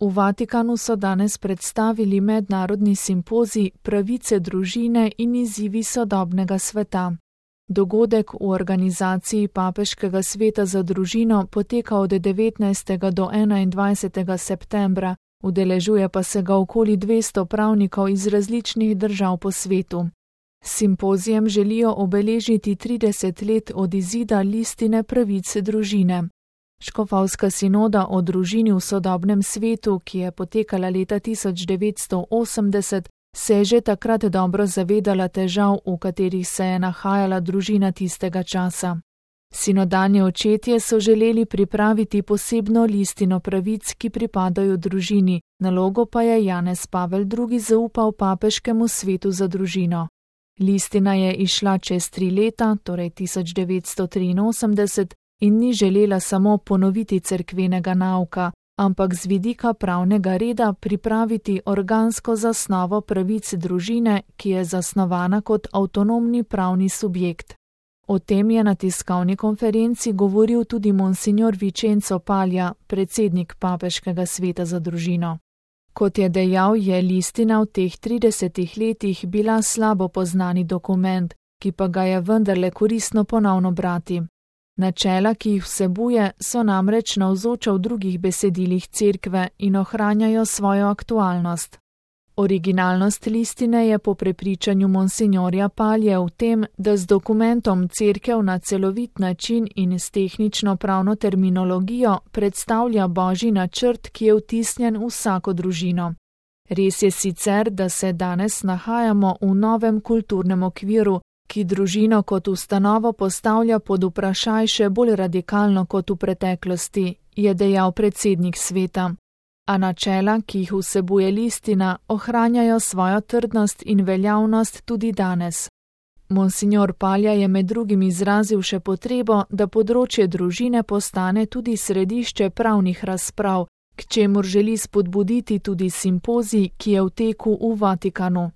V Vatikanu so danes predstavili mednarodni simpozij Pravice družine in izzivi sodobnega sveta. Dogodek v organizaciji Papeškega sveta za družino poteka od 19. do 21. septembra, udeležuje pa se ga okoli 200 pravnikov iz različnih držav po svetu. S simpozijem želijo obeležiti 30 let od izida listine pravic družine. Škofovska sinoda o družini v sodobnem svetu, ki je potekala leta 1980, se je že takrat dobro zavedala težav, v katerih se je nahajala družina tistega časa. Sinodalni očetje so želeli pripraviti posebno listino pravic, ki pripadajo družini, nalogo pa je Janez Pavel II. Zaupal Papeškemu svetu za družino. Listina je izšla čez 3 leta, torej 1983, in ni želela samo ponoviti cerkvenega nauka, ampak z vidika pravnega reda pripraviti organsko zasnovo pravic družine, ki je zasnovana kot avtonomni pravni subjekt. O tem je na tiskovni konferenci govoril tudi monsignor Vincenzo Paglia, predsednik Papeškega sveta za družino. Kot je dejal, je listina v teh 30 letih bila slabo poznani dokument, ki pa ga je vendarle koristno ponovno brati. Načela, ki jih vsebuje, so namreč navzoča v drugih besedilih cerkve in ohranjajo svojo aktualnost. Originalnost listine je po prepričanju monsignorja Paglie v tem, da z dokumentom cerkev na celovit način in s tehnično pravno terminologijo predstavlja Božji načrt, ki je vtisnjen v vsako družino. Res je sicer, da se danes nahajamo v novem kulturnem okviru, ki družino kot ustanovo postavlja pod vprašaj še bolj radikalno kot v preteklosti, je dejal predsednik sveta. A načela, ki jih vsebuje listina, ohranjajo svojo trdnost in veljavnost tudi danes. Monsignor Paglia je med drugim izrazil še potrebo, da področje družine postane tudi središče pravnih razprav, k čemur želi spodbuditi tudi simpozij, ki je v teku v Vatikanu.